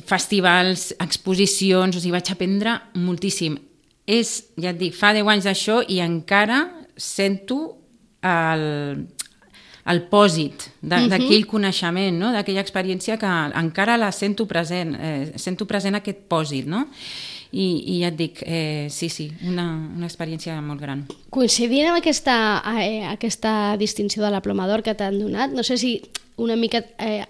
festivals, exposicions, o sigui, vaig aprendre moltíssim. És, ja et dic, fa deu anys d'això i encara sento el, el pòsit d'aquell coneixement, no? D'aquella experiència que encara la sento present, eh, sento present aquest pòsit, no? i, i ja et dic, eh, sí, sí, una, una experiència molt gran. Coincidint amb aquesta, eh, aquesta distinció de la Ploma d'Or que t'han donat, no sé si una mica eh,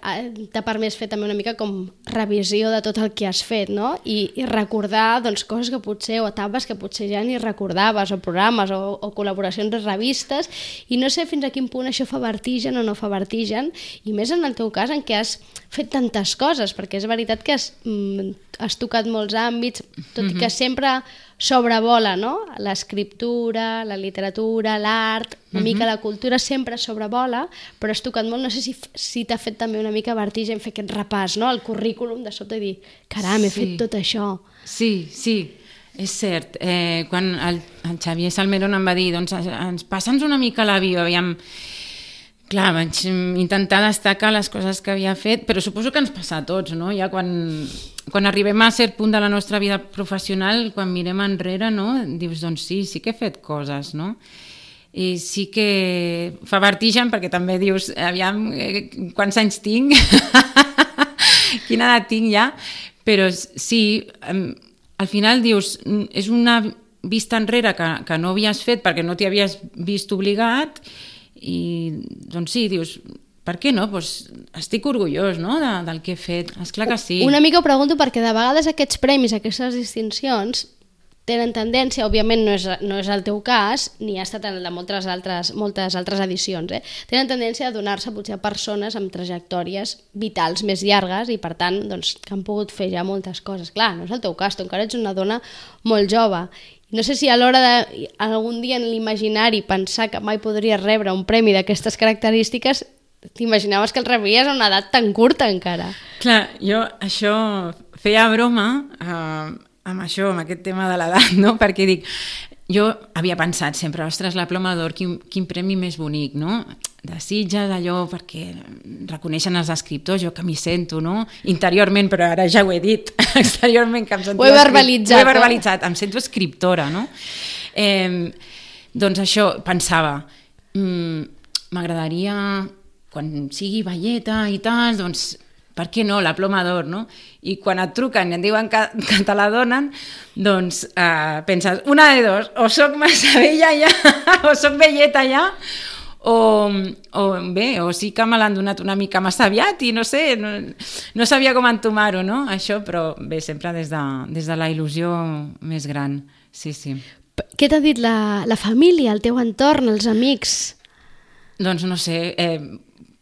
t'ha permès fer també una mica com revisió de tot el que has fet, no? I, i recordar doncs, coses que potser, o etapes que potser ja ni recordaves, o programes, o, o col·laboracions de revistes, i no sé fins a quin punt això fa vertigen o no fa vertigen, i més en el teu cas en què has fet tantes coses, perquè és veritat que has, mm, has tocat molts àmbits, tot i que sempre sobrevola, no? L'escriptura, la literatura, l'art, una uh-huh. mica la cultura sempre sobrevola, però has tocat molt, no sé si, si t'ha fet també una mica vertigen fer aquest repàs, no? El currículum de sota i dir, caram, he sí. fet tot això. Sí, sí, és cert. Eh, quan el, el Xavier Salmerón em va dir, doncs ens passa'ns una mica la bio, aviam. Clar, vaig intentar destacar les coses que havia fet, però suposo que ens passa a tots, no? Ja quan, quan arribem a cert punt de la nostra vida professional, quan mirem enrere, no? Dius, doncs sí, sí que he fet coses, no? I sí que fa vertigen perquè també dius, aviam, eh, quants anys tinc? Quina edat tinc ja? Però sí, al final dius, és una vista enrere que, que no havies fet perquè no t'hi havies vist obligat, i doncs sí, dius, per què no? Pues estic orgullós, no? de, del que he fet, esclar que sí. Una mica ho pregunto perquè de vegades aquests premis, aquestes distincions tenen tendència, òbviament no és, no és el teu cas, ni ha estat en el de moltes altres, moltes altres edicions, eh? Tenen tendència a donar-se potser a persones amb trajectòries vitals més llargues i per tant doncs, que han pogut fer ja moltes coses. Clar, no és el teu cas, tu encara ets una dona molt jove. No sé si a l'hora de algun dia en l'imaginari pensar que mai podries rebre un premi d'aquestes característiques, t'imaginaves que el rebries a una edat tan curta encara. Clar, jo això feia broma eh, amb això, amb aquest tema de l'edat, no? Perquè dic, jo havia pensat sempre, ostres, la Ploma d'Or, quin, quin premi més bonic, no? De Sitges, allò, perquè reconeixen els escriptors, jo que m'hi sento, no? Interiorment, però ara ja ho he dit, exteriorment que em sento... Ho he verbalitzat. Ho he verbalitzat, eh? Em sento escriptora, no? Eh, doncs això, pensava, m'agradaria, quan sigui velleta i tal, doncs, per què no, la Ploma d'Or, no? I quan et truquen i et diuen que, que te la donen, doncs eh, penses, una de dos, o soc massa vella ja, o soc velleta ja, o, o bé, o sí que me l'han donat una mica massa aviat i no sé, no, no sabia com entomar-ho, no? Això, però bé, sempre des de, des de la il·lusió més gran, sí, sí. Què t'ha dit la, la família, el teu entorn, els amics? Doncs no sé, eh,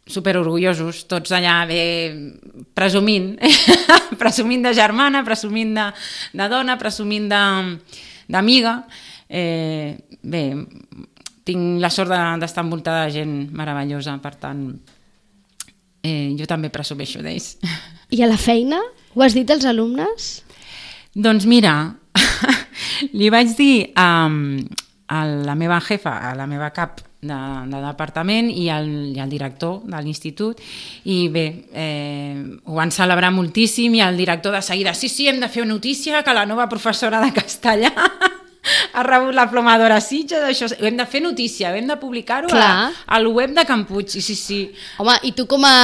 superorgullosos, tots allà bé presumint, presumint de germana, presumint de, de dona, presumint d'amiga. Eh, bé, tinc la sort d'estar envoltada de gent meravellosa, per tant, eh, jo també presumeixo d'ells. I a la feina? Ho has dit als alumnes? Doncs mira, li vaig dir a, a la meva jefa, a la meva cap de, de departament i al, i al director de l'institut, i bé, eh, ho van celebrar moltíssim, i el director de seguida, sí, sí, hem de fer notícia que la nova professora de castellà ha rebut la Ploma d'Or a Sitges, això, hem de fer notícia, hem de publicar-ho al web de Can Puig, sí, sí, sí. Home, i tu com a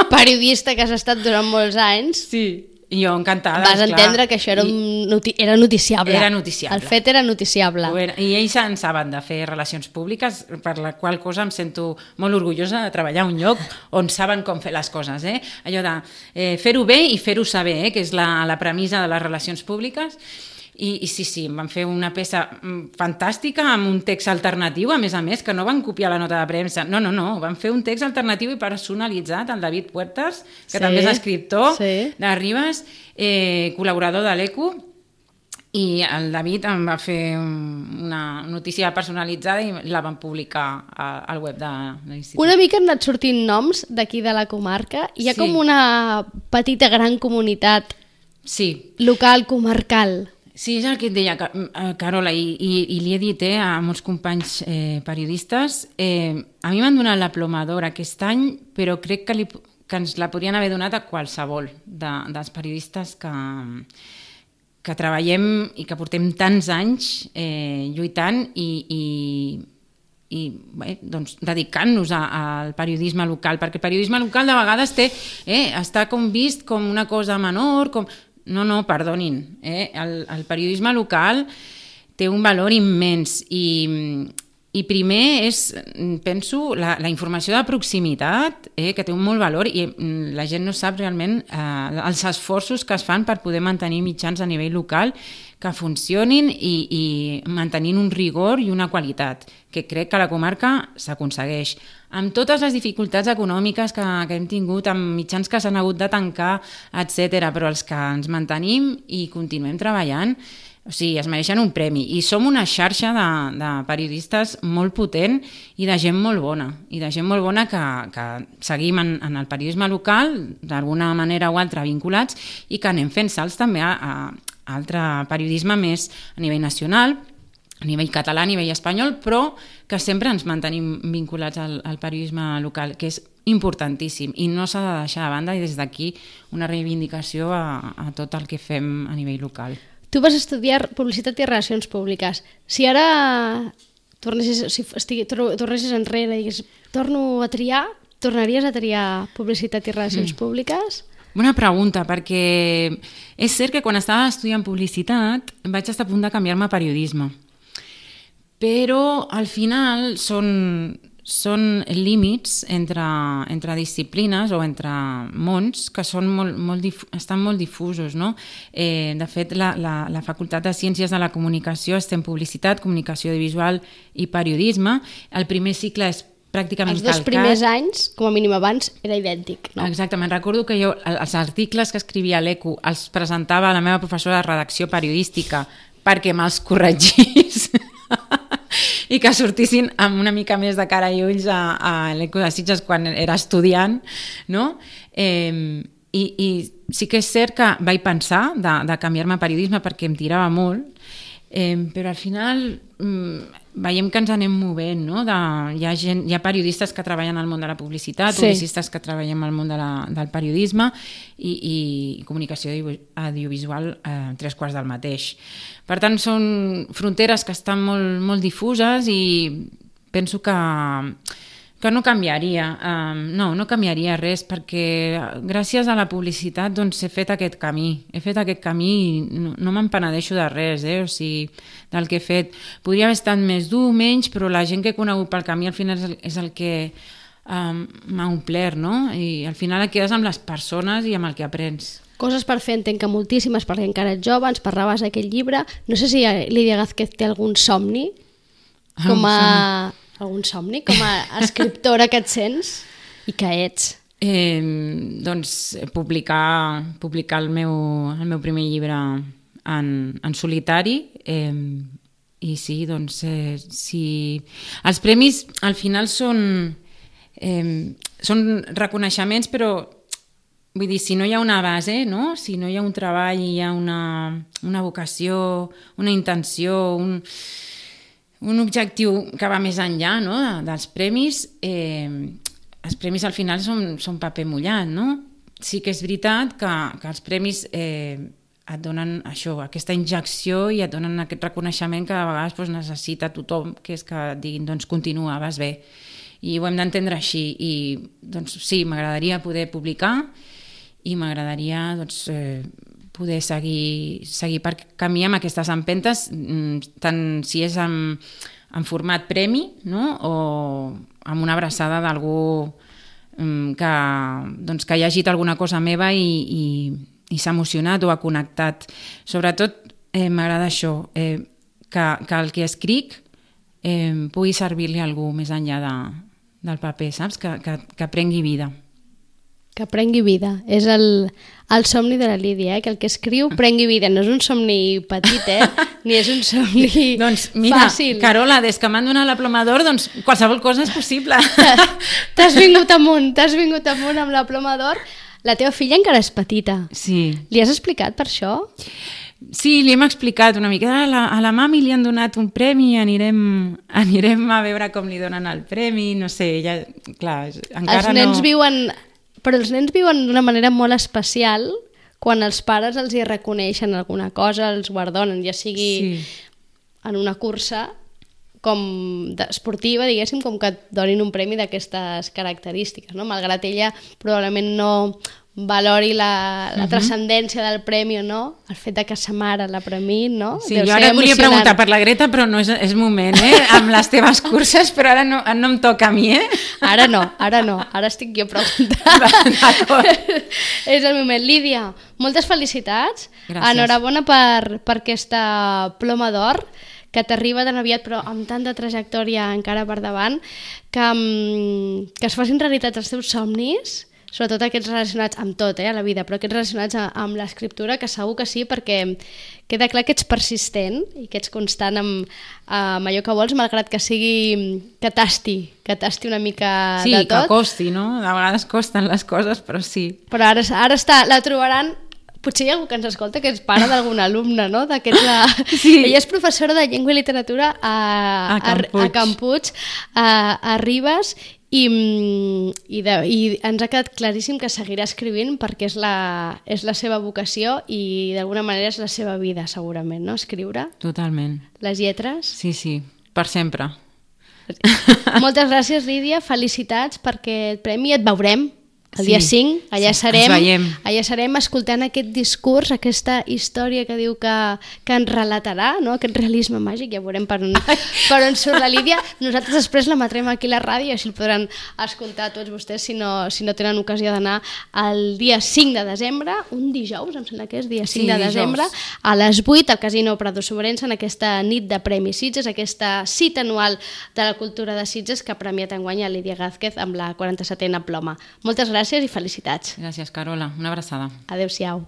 periodista que has estat durant molts anys... Sí, jo encantada. Vas entendre que això era, un noti era noticiable. Era noticiable. El fet era noticiable. Era, I ells en saben de fer relacions públiques, per la qual cosa em sento molt orgullosa de treballar a un lloc on saben com fer les coses. Eh? Allò de eh, fer-ho bé i fer-ho saber, eh? Que és la, la premissa de les relacions públiques. I, i sí, sí, em van fer una peça fantàstica amb un text alternatiu, a més a més, que no van copiar la nota de premsa. No, no, no, van fer un text alternatiu i personalitzat, el David Puertas, que sí, també és escriptor sí. de Ribes, eh, col·laborador de l'Eco, i el David em va fer una notícia personalitzada i la van publicar al web de l'institut. Una mica han anat sortint noms d'aquí de la comarca. Hi ha sí. com una petita gran comunitat sí. local, comarcal. Sí, és el que et deia, Carola, i, i, i li he dit eh, a molts companys eh, periodistes, eh, a mi m'han donat la Ploma d'Or aquest any, però crec que, li, que ens la podrien haver donat a qualsevol de, dels periodistes que, que treballem i que portem tants anys eh, lluitant i, i, i bé, doncs, dedicant-nos al periodisme local, perquè el periodisme local de vegades té, eh, està com vist com una cosa menor, com... no, no, perdonin. Eh? El, el periodisme local té un valor immens i, i primer és, penso, la, la informació de proximitat, eh, que té un molt valor i la gent no sap realment eh, els esforços que es fan per poder mantenir mitjans a nivell local que funcionin i, i mantenint un rigor i una qualitat, que crec que a la comarca s'aconsegueix. Amb totes les dificultats econòmiques que, que hem tingut, amb mitjans que s'han hagut de tancar, etcètera, però els que ens mantenim i continuem treballant, o sigui, es mereixen un premi. I som una xarxa de, de periodistes molt potent i de gent molt bona. I de gent molt bona que, que seguim en, en el periodisme local, d'alguna manera o altra vinculats, i que anem fent salts també a, a altre periodisme més a nivell nacional, a nivell català, a nivell espanyol, però que sempre ens mantenim vinculats al, al periodisme local, que és importantíssim i no s'ha de deixar de banda, i des d'aquí una reivindicació a, a tot el que fem a nivell local. Tu vas estudiar Publicitat i Relacions Públiques. Si ara tornessis, si estigui, tornessis enrere i digues, torno a triar, tornaries a triar Publicitat i Relacions mm. Públiques? Bona pregunta, perquè és cert que quan estava estudiant publicitat vaig estar a punt de canviar-me a periodisme. Però al final són, són límits entre, entre disciplines o entre mons que són molt, molt dif, estan molt difusos, no? Eh, de fet, la, la, la Facultat de Ciències de la Comunicació està en publicitat, comunicació audiovisual i periodisme. El primer cicle és pràcticament els dos calcat. Primers anys, com a mínim abans, era idèntic, no? Exactament. Recordo que jo els articles que escrivia a l'E Q els presentava a la meva professora de redacció periodística perquè me'ls corregís i que sortissin amb una mica més de cara i ulls a, a l'E Q de Sitges quan era estudiant, no? Eh, i, I sí que és cert que vaig pensar de, de canviar-me a periodisme perquè em tirava molt, eh, però al final mm, veiem que ens anem movent, no? De, hi, ha gent, hi ha periodistes que treballen al món de la publicitat, sí. Publicistes que treballen al món de la, del periodisme i, i comunicació audiovisual eh, tres quarts del mateix. Per tant, són fronteres que estan molt, molt difuses i penso que, que no canviaria. Um, no, no canviaria res perquè gràcies a la publicitat doncs, he fet aquest camí. He fet aquest camí i no, no me'n penedeixo de res, eh? O sigui, del que he fet. Podria haver estat més dur, menys, però la gent que he conegut pel camí al final és el, és el que um, m'ha omplert, no? I al final et quedes amb les persones i amb el que aprens. Coses per fer entenc que moltíssimes, perquè encara ets jove, ens parlaves d'aquest llibre. No sé si Lídia Gázquez té algun somni, com a... algun somni, com a escriptora que et sents i que ets. Eh, doncs publicar, publicar el, meu, el meu primer llibre en, en solitari eh, i sí, doncs eh, si... els premis al final són, eh, són reconeixements, però vull dir, si no hi ha una base, no? Si no hi ha un treball, hi ha una, una vocació, una intenció, un, un objectiu que va més enllà, no? de, dels premis, eh, els premis al final són, són paper mullat, no? Sí que és veritat que, que els premis eh, et donen això, aquesta injecció i et donen aquest reconeixement que a vegades doncs, necessita tothom, que és que et diguin, doncs continua, vas bé. I ho hem d'entendre així. I doncs sí, m'agradaria poder publicar i m'agradaria doncs, eh, poder seguir, seguir per camí amb aquestes empentes, tant si és en, en format premi, no? O amb una abraçada d'algú que, doncs, que ha llegit alguna cosa meva i, i, i s'ha emocionat o ha connectat. Sobretot eh, m'agrada això, eh, que, que el que escric eh, pugui servir-li a algú més enllà de, del paper, saps? Que, que, que prengui vida. Que prengui vida. És el, el somni de la Lídia, eh? Que el que escriu prengui vida. No és un somni petit, eh? Ni és un somni doncs mira, fàcil. Carola, des que m'han donat la Ploma d'Or, doncs qualsevol cosa és possible. T'has vingut amunt, t'has vingut amunt amb la Ploma d'Or. La teva filla encara és petita. Sí. Li has explicat per això? Sí, li hem explicat una mica. A la, a la mami li han donat un premi, anirem, anirem a veure com li donen el premi, no sé, ja, clar, encara Els nens no... viuen... Però els nens viuen d'una manera molt especial quan els pares els hi reconeixen alguna cosa, els guardonen, ja sigui sí. en una cursa com esportiva, diguéssim, com que et donin un premi d'aquestes característiques, no? Malgrat ella probablement no valori la, la uh -huh. transcendència del premi o no, el fet de que sa mare la premi, no? Sí, Deu jo ara et volia preguntar per la Greta, però no és, és moment, eh? Amb les teves curses, però ara no, no em toca a mi, eh? Ara no, ara no, ara estic jo preguntant. És el moment. Lídia, moltes felicitats. Gràcies. Enhorabona per, per aquesta ploma d'or, que t'arriba tan aviat però amb tanta trajectòria encara per davant, que, que es facin realitat els teus somnis, sobretot aquests relacionats amb tot, eh, a la vida, però aquests relacionats amb l'escriptura, que segur que sí, perquè queda clar que ets persistent i que ets constant amb, amb allò que vols, malgrat que sigui que tasti, que tasti una mica sí, de tot. Sí, que costi, no? De vegades costen les coses, però sí. Però ara, ara està, la trobaran. Potser hi ha algú que ens escolta que és pare d'algun alumne, no? La... Sí. Ella és professora de llengua i literatura a, a Campuig, a, Campuig a, a Ribes, i, i, de, i ens ha quedat claríssim que seguirà escrivint perquè és la, és la seva vocació i d'alguna manera és la seva vida, segurament, no? Escriure. Totalment. Les lletres. Sí, sí, per sempre. Moltes gràcies, Lídia, felicitats perquè el premi et veurem el sí, dia cinc, allà sí, serem, allà serem escoltant aquest discurs, aquesta història que diu que, que ens relatarà, no? Aquest realisme màgic, ja veurem per on, per on surt la Lídia. Nosaltres després la matrem aquí a la ràdio i així el podran escoltar tots vostès si no, si no tenen ocasió d'anar el dia cinc de desembre, un dijous, em sembla que és dia cinc sí, de desembre, dijous. A les vuit al Casino Prado Sobrense, en aquesta nit de Premis Sitges, aquesta cita anual de la cultura de Sitges que ha premiat enguany a Lídia Gázquez amb la quaranta-setena ploma. Moltes gràcies. Gràcies i felicitats. Gràcies, Carola. Una abraçada. Adéu-siau.